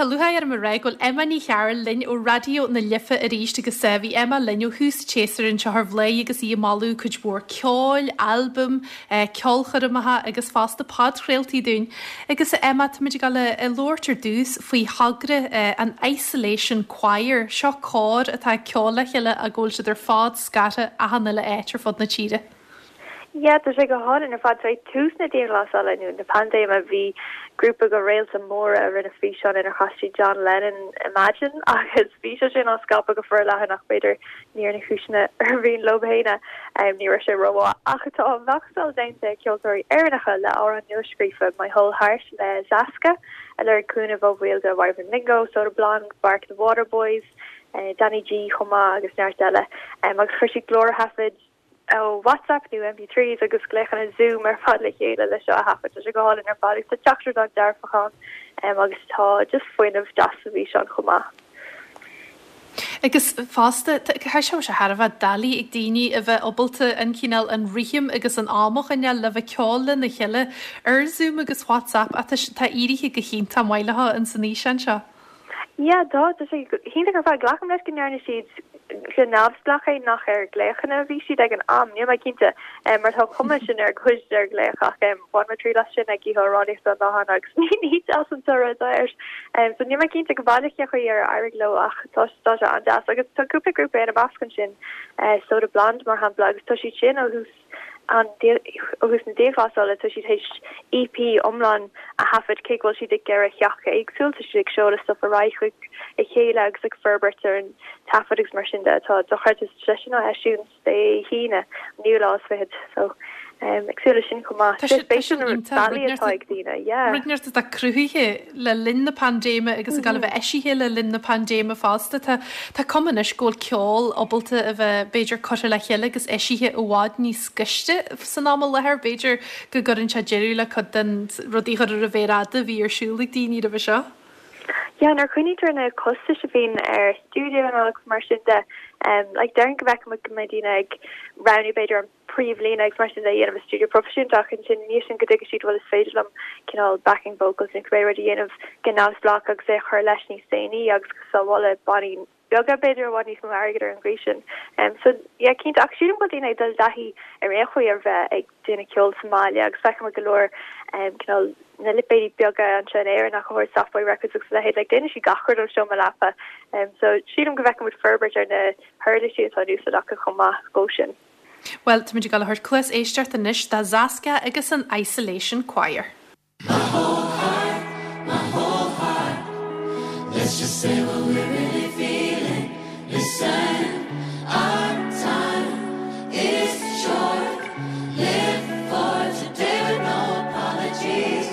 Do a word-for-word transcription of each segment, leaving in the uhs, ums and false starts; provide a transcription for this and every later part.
tá lúcháir orm a rá go bhfuil Emma Ní Chearúil linn ó Raidió na Life arís agus bhí Emma linn ó thús an tséasúir anseo ar Bhladhaire agus í ag moladh cuid mhór ceoil, albaim, ceolchoirmeacha agus fosta podchraoltaí dúinn. Agus Emma, táimid ag dul a labhairt ar dtús faoi thogra an Isolation Choir, seo cór atá ag ceol le chéile ach go bhfuil siad ar fad scartha achan uile áit ar fud na tíre. Yeah, tá sé go hálainn ar fad ag tús na dianghlasála nó na paindéime bhí grúpa de réaltaí móra a rinne físeán inar chas siad John Lennon Imagine agus bhí sé sin á scaipeadh go forleathan ach b'fhéidir ní ar na cúiseanna ar mhian leo féin um, ní raibh sé rómhaith ach tá machtáil déanta ceoltóirí Éireannacha le amhrán nuascríofa My Whole Heart le Zaska a lorg cúnamh ó bhaill de Wyvern Lingo, Soda Blonde, Bark the Waterboys, uh, Danny G chomh maith agus neart eile um, agus chuir siad glórthaifid ó WhatsApp nó M P threes agus glaochanna Zoom ar fad le chéile le seo a thaifead tá sé go hálainn ar fad agus tá teachtaireacht an-dearfach ann um, agus tá just fuinneamh deas sa bhfíseán chomh maith. Agus fosta tá sé sé thar a bheith doiligh ag daoine a bheith ábalta an cineál an rithim agus an am a choinneáil le bheith ceol lena chéile ar Zoom agus WhatsApp ach tá tá éirithe go hiontach maith leo in san fhíseán seo. Yeah, tá tá sé hiontach ar fad glacaim leis go ndearna siad go neamhspleách é nach ar glaochanna a bhí siad ag an am níl mé cinnte um, mar tá cuma sin ar chuid ar glaoch ach um, bhain mé triail as sin ag oíche amhránaíochta an domhain agus ní ní deas an toradh air. Um, so níl mé cinnte go baileach cén chaoi ar éirigh leo ach tá tá sé an-deas agus tá cúpla grúpa ina measc ansin uh, Soda Blonde mar shampla agus tá siad sin ó thús an ó thús na dianghlasála tá siad théis E P iomlán a thaifead cé go bhfuil siad ag ceithre theach éagsúil, tá siad ag seoladh stuff ar aghaidh chuig a chéile agus ag forbairt ar an taifead agus mar sin de tá dochreidte sin á eisiúint Dé hAoine naoú lá is fichead so um, ag súil leis sin chomh maith. Tá sé- tá Spéisiúil sin na iontach, bealaí rud atá ag daoine, yeah. Rud inteacht atá cruthaithe le linn na paindéime agus ag gabháil a bheith eisithe le linn na paindéime fosta. Tá tá cuma anois go bhfuil ceol ábalta a bheith b'fhéidir curtha le chéile agus eisithe i bhfad níos gaiste san am i láthair, b'fhéidir go gcuireann sé deireadh le cuid den rudaí chur ar a mhéar fhada a bhí ar siúl ag daoine roimhe seo. Yeah, nuair a chuimhnítear na costais a bhíonn ar stiúideo agus mar sin de, um, like déarfainn go bhfeicfimid go mbeidh daoine ag roghnú b'fhéidir an príomhlíne agus mar sin de dhéanamh i stiúideo proifisiúnta ach ansin níos sin go dtuigfidh siad bhfuil is féidir liom cineál backing vocals nó cibé rud a dhéanamh go neamhspleách agus é a chur leis níos déanaí agus go sábhála bannaí beaga b'fhéidir i bhfad níos mó airgead ar an gcaoi sin. Um, so yeah, cinnte ach sílim go bhfuil daoine ag dul i dtaithí ar aon chaoi ar bheith ag déanamh ceol sa mbaile agus feicim go leor um, cineál na lipéidí beaga anseo in Éirinn ach go Soft Boy Records agus leithéid like déanann siad gach rud ón seomra leapa. Um, so sílim go bhfeicfimid forbairt ar na huirlisí atá in úsáid acu chomh maith go sin. Well, táimid ag dul a thabhairt cluas éisteachta anois do Zaska agus an Isolation Choir. My whole heart, my whole heart. Let's just say what we're really feeling. Listen, our time is short. Live for today with no apologies.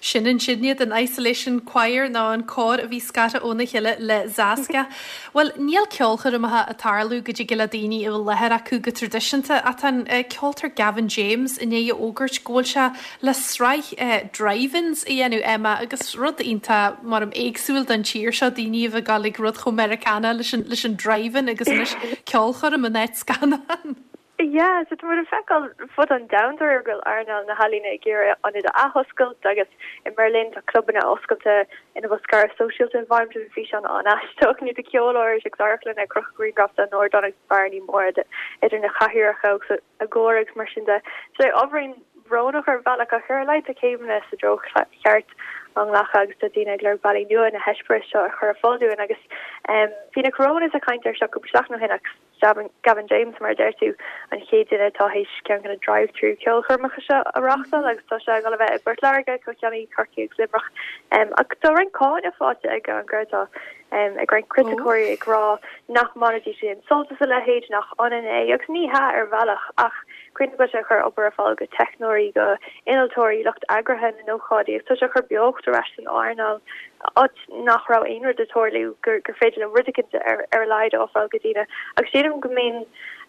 Sin ansin iad an Isolation Choir nó an cór a bhí scartha óna chéile le Zaska. Well, níl ceolchoirmeacha ag tarlú go dtig le daoine i láthair acu go traidisiúnta ach tá an ceoltóir Gavin James i ndiaidh a fhógairt go bhfuil sé le sraith drive-ins a dhéanamh Emma agus rud iontach mar am éagsúil don tír seo daoine a bheith ag gabháil ag rud chomh Meiriceánach leis an leis an drive-in agus anois ceolchoirm in áit scannán. Yeah, so tá feiceáil fud an domhain go bhfuil earnáil na healaíne ag iarraidh ionaid a athoscailt agus i mBerlin tá clubanna oscailte ina bhfuil scaradh sóisialta i bhfeidhm bhí físeán an-aisteach nó de ceoltóirí agus amharclann ag crochadh grianghraf den ardán agus bearnaí móra idir na cathaoireacha agus a gcóir agus mar sin de. So ábhairín brónach ar bhealach ach ar a laghad tá céimeanna sa treo cheart á nglacadh agus tá daoine ag lorg bealaí nua na heispéiris seo a chur ar fáil dúinn agus um, bhí na Coronas ag caint air seo cúpla seachtain ó shin agus Gavin, Gavin James mar a deir tú an chéad duine atá théis ceann de na drive-through ceolchoirmeacha seo a reáchtáil agus tá sé ag dul a bheith i bPort Láirge, Cill Chainnigh, Corcaigh agus Luimneach. Um, ach tá roinnt cáineadh faighte ag an gcreatá um, ag roinnt criticeoirí ag rá nach mbainfidís aon sult as a leithéid nach ionann é agus ní hea ar bhealach ach cuimhnigh go bhfuil sé ag cur obair ar fáil go teicneoirí go innealtóirí lucht eagraithe na n-ócáidí agus tá sé ag cur beocht ar ais san earnáil áit nach raibh aon rud ag tarlú gur gur féidir le rud éicint ar ar a laghad a fháil go daoine agus sílim go mbíonn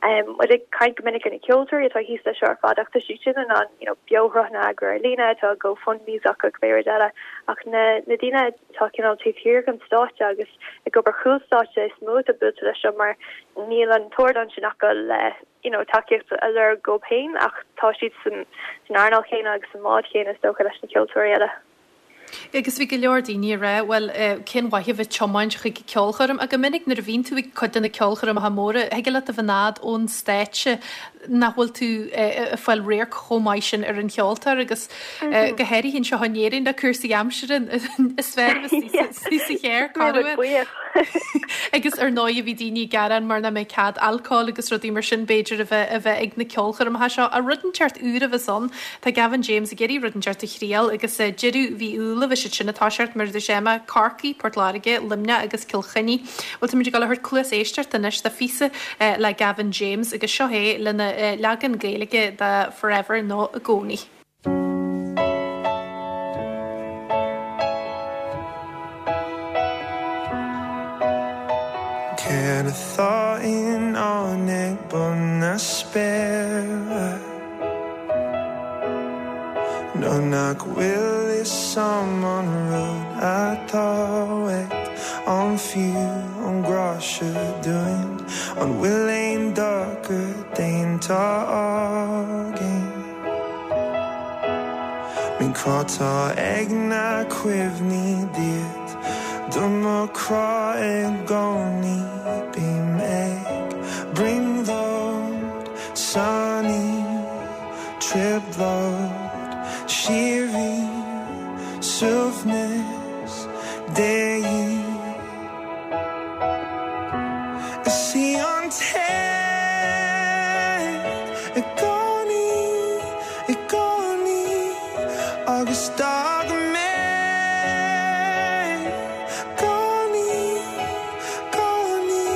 um, muid ag caint go minic ar na ceoltóirí atá thíos leis seo ar fad ach tá siad sin in ann you know, beoshruthanna a eagrú ar líne tá GoFundMes acu cibé rud eile ach na na daoine atá cineál taobh thiar den stáitse agus ag obair chúl stáitse is mó atá buailte leis seo mar níl an t-ardán sin acu le you know, tacaíocht a lorg dóibh féin ach tá siad san san earnáil chéanna agus sa mbád chéanna is dócha leis na ceoltóirí eile. Agus bhí go leor daoine ag rá, bhuel, cén mhaith a bheith ag tiomáint chuig ceolchoirm? Ach go minic nuair a bhíonn tú ag cuid de na ceolchoirmeacha móra, thig leat a bheith in fhad ón stáitse nach bhfuil tú ag fáil radharc chomh maith sin ar an cheoltóir agus go háirithe anseo in Éirinn le cúrsaí aimsire is fearr a bheith sa charr corruair. Agus ar ndóigh bhí daoine ag gearán mar nach mbeidh cead alcóil agus rudaí mar sin b'fhéidir a bheith a bheith ag na ceolchoirmeacha seo. Ach rud inteacht úr a bheas ann, tá Gavin James ag iarraidh rud inteacht a thriail agus deireadh mhí Iúil a bheas siad sin ag toiseacht mar a dúirt Emma, Corcaigh, Port Láirge, Luimneach agus Cill Chainnigh. Bhuel táimid ag dul a thabhairt cluas éisteachta anois do phíosa le Gavin James agus seo é lena leagan Gaeilge de Forever nó i gcónaí. Céard atá i ndán ag bun na spéire? Nó nach bhfuil fhios a'm an rud atá uait, an fiú an grá seo dúinn, an bhfuil aon dochar déanta againn? Bím cráite ag na cuimhní díot, do mo chrá i gcónaí, bím ag brionglóid san trioblóid síoraí suaimhneas de dhíth. Is í an té i gcónaí, i gcónaí agus d'fhág mé gcónaí, gcónaí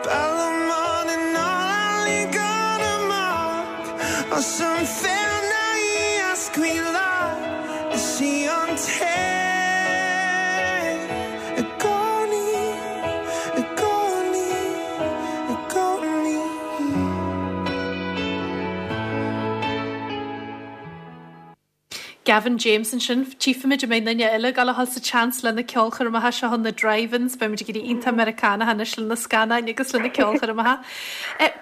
Bealach in all amach as an féarna í a scaoileadh Is í an té i gcónaí, i gcónaí, i gcónaí. Gavin James ansin, tchífimid an mbeidh duine eile ag dul a dhul sa tseans le na ceolchoirmeacha seo na drive-ins, beimid ag éirí iontach Meiriceánach anois le na scannáin agus le na ceolchoirmeacha.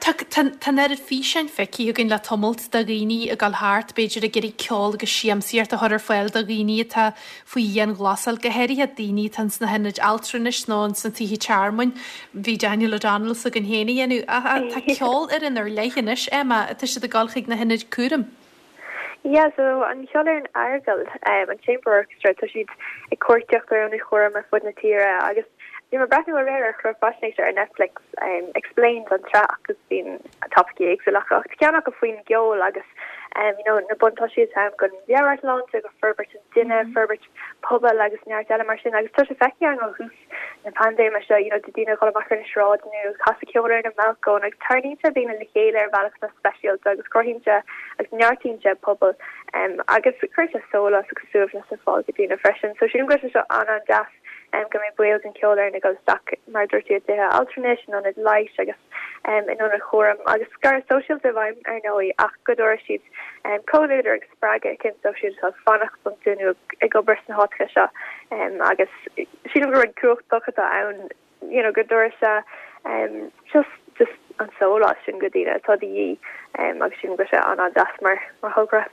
Tá tá an oiread físeáin feicthe againn le tamalt de dhaoine ag dul thart, b'fhéidir ag iarraidh ceol agus siamsaíocht a chur ar fáil do dhaoine atá faoi dhianghlasáil, go háirithe daoine atá ins na hionaid altranais nó ins na tithe tearmainn. Bhí Daniel O'Donnell s'againn féin a dhéanamh. Ach tá ceolfhoireann ar leith anois, Emma, atá siad ag dul chuig na hionaid cúraim. Yeah, so an Cheolfhoireann Aireagail, um, an Chamber Orchestra, tá siad ag cuartaíocht ar ionaid chúraim ar fud na tíre agus bhí mé ag breathnú aréir ar chlár faisnéise ar Netflix, um, Explained an tsraith agus bíonn topaicí éagsúla acu ach tá ceann acu faoin gceol agus um, you know, na buntáistí atá ann don mheabhairshláinte, go forbairt an duine, forbairt pobail agus neart eile mar sin agus tá sé feicthe againn ó thús na paindéime seo, you know, de daoine ag dul amach ar na sráideanna nó casadh ceoil ar na mbalcóin agus tarraingíonn sé daoine le chéile ar bhealach atá speisialta agus cruthaíonn sé agus neartaíonn sé pobal um, agus cuireann sé sólás agus suaimhneas ar fáil go daoine freisin. So sílim go bhfuil sé seo an-an-deas um, go mbeidh baill den cheolfhoireann ag dul isteach mar a dúirt tú i dtithe altranais, in ionaid leighis agus um, in ionaid chúraim agus scaradh sóisialta i bhfeidhm ar ndóigh ach go dtabharfaidh siad um, comhluadar agus spreagadh eicínt dóibh siúd atá ag fanacht iontu nó ag obair sna háiteacha seo um, agus sílim gur rud cumhachtach atá ann you know, go dtabharfaidh sé um, just just an sólás sin go daoine atá de dhíth um, agus sílim go bhfuil sé an-an-deas mar mar thogra.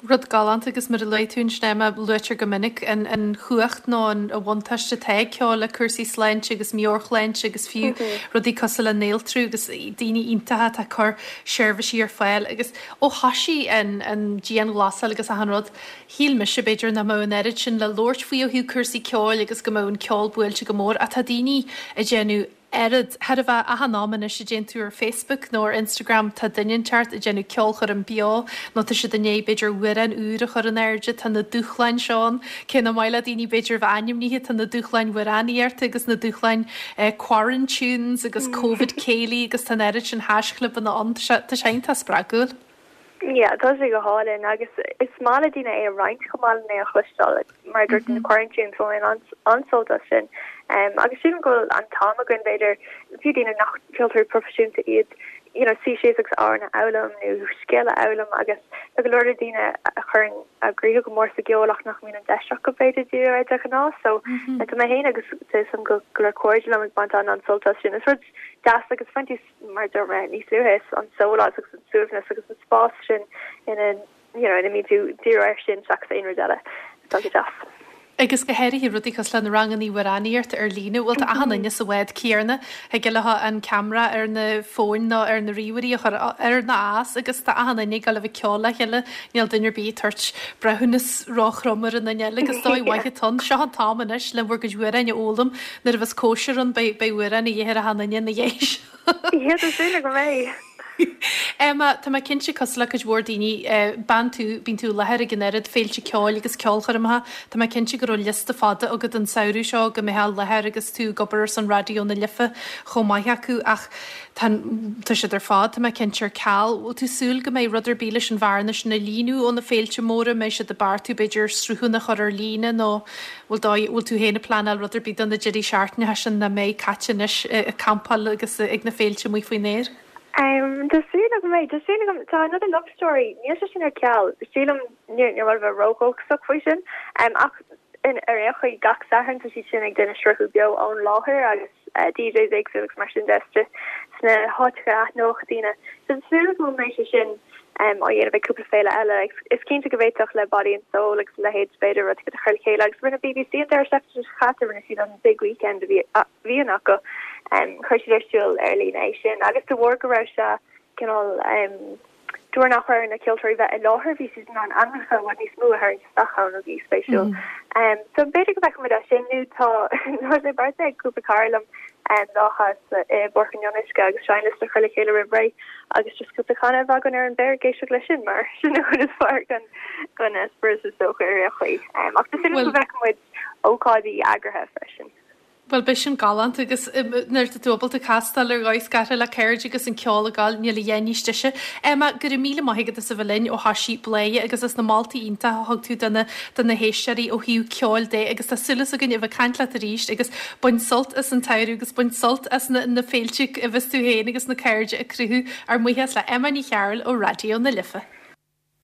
Rud galánta agus mar a luaigh tú ansin Emma luaitear go minic an an chumhacht nó an a bhuntáiste atá ag ceol le cúrsaí sláinte agus meabhairshláinte agus fiú rudaí cosúil le néaltrú agus daoine iontacha atá ag cur seirbhísí ar fáil agus ó thosaigh an an dianghlasáil agus achan rud shíl mise b'fhéidir nach mbeadh an oiread sin le labhairt faoi ó thaobh cúrsaí ceoil agus go mbeadh an ceol buailte go mór ach tá daoine ag déanamh oiread thar a bheith achan am anois a dtéann tú ar Facebook nó ar Instagram tá duine inteacht ag déanamh ceolchoirm beo nó tá siad i ndiaidh b'fhéidir amhrán úr a chur in airde tá na dúshláin seo ann cé nach maith le daoine b'fhéidir a bheith ainmnithe tá na dúshláin amhránaíochta agus na dúshláin eh, quarantunes agus Covid céilí agus tá an oiread sin haischlibeanna ann tá sé tá sé iontach spreagúil. Yeah, tá sé go hálainn agus is maith le daoine é a roinnt chomh maith lena é a chloisteáil mar dúirt na quarantine so an an-sult as sin. Um, agus sílim go bhfuil an t-am againn b'fhéidir fiú daoine nach ceoltóirí proifisiúnta iad you know, suí síos agus amhrán a fhoghlaim nó scéal a fhoghlaim agus tá go leor daoine a chuireann a gcroíthe go mór sa gceol ach nach mbíonn an deis acu b'fhéidir díriú air de ghnáth so tá mé féin agus tá am go go leor cairde liom ag baint an an-sult as sin. Is rud deas agus fuintis mar dúirt mé níos luaithe is an sólás agus an suaimhneas agus an spás sin ina you know, ina mbíonn tú díriú air sin seachas aon rud eile. Tá go deas. Agus go háirithe rudaí cosúil le na ranganna amhránaíochta ar líne, bhfuil tá achan duine sa bhád céanna ag le an ceamara ar na fóin nó ar na ríomhairí a chur ar na as agus tá achan duine ag gabháil a bheith ag ceol le chéile níl duine ar bith ag tabhairt breithiúnas róthrom ar an duine eile agus dóigh mhaith atá ann. Seo an t-am anois le bhur gcuid amhráin a fhoghlaim nuair a bheas cóisir ann beidh beidh amhráin a dhíth ar achan duine ina dhiaidh seo. Yeah, tá súil agam é. Emma, tá mé cinnte cosúil le cuid mhór daoine, bean tú, bíonn tú i láthair ag an oiread féilte ceoil agus ceolchoirmeacha, tá mé cinnte go raibh liosta fada agat an samhradh seo go mbeifeá i láthair agus tú ag obair ar son Raidió na Life chomh maith acu ach tá, tá siad ar fad, tá mé cinnte ar ceal. Bhfuil tú súil go mbeidh rud ar bith leis an bhearna sin a líonadh ó na féilte móra, mbeidh siad ag beartú b'fhéidir sruthanna a chur ar líne nó bhfuil dóigh, bhfuil tú féin ag pleanáil rud ar bith do na deirí seachtaine sin nach mbeidh caite anois ag campáil agus ag na féilte amuigh faoin aer? Um, tá súil agam é, tá súil agam tá Another Love Story, níl sé sin ar ceal, sílim níor níor mhaith a bheith ródhóchasach faoi sin, um, ach in ar aon chaoi gach Satharn tá siad sin ag déanamh sruthú beo ón láthair agus uh, DJs éagsúil agus mar sin de sna háiteacha a aithneodh daoine. So tá súil agam go mbeidh sé sin um, á dhéanamh ag cúpla féile eile. Is cinnte go bhféadfadh le Body and Soul agus a leithéid b'fhéidir rud a chur le chéile agus rinne BBC an deireadh seachtaine seo caite rinne siad an Big Weekend a bhí a bhíonn acu. Um, chuir siad ar siúl ar líne é sin agus de bharr go raibh sé cineál um, de bharr nach raibh na ceoltóirí bheith i láthair bhí siad in ann ainmneacha i bhfad níos mó a tharraingt isteach ann a bhí spéisiúil. Um, so b'fhéidir go bhfeicfimid é sin nó tá tá sé beartaithe ag cúpla cara liom um, lá i bPáirc an Fhionnuisce agus seinnliosta a chur le chéile roimh ré agus just cúpla canna a bheith againn ar an bhféar ag éisteacht leis sin mar sin an chuid is fearr den den eispéireas is dócha ar aon chaoi. Um, ach tá súil agam go bhfeicfimid ócáidí eagraithe freisin. Bhuel beidh sin galánta agus nuair atá tú ábalta castáil ar dhóigh scartha le cairde agus an ceol ag gabháil níl a dhath níos deise. Emma, go raibh míle maith agat as a bheith linn ó thoisigh Bladhaire agus as na moltaí iontacha a thug tú do na do na héisteoirí ó thaobh ceoil de agus tá súil againn a bheith ag caint leat arís agus bain sult as an tsamhradh agus bain sult as na na féilte a bheas tú féin agus na cairde ag cruthú ár mbuíochas le Emma Ní Chearúil ó Raidió na Life.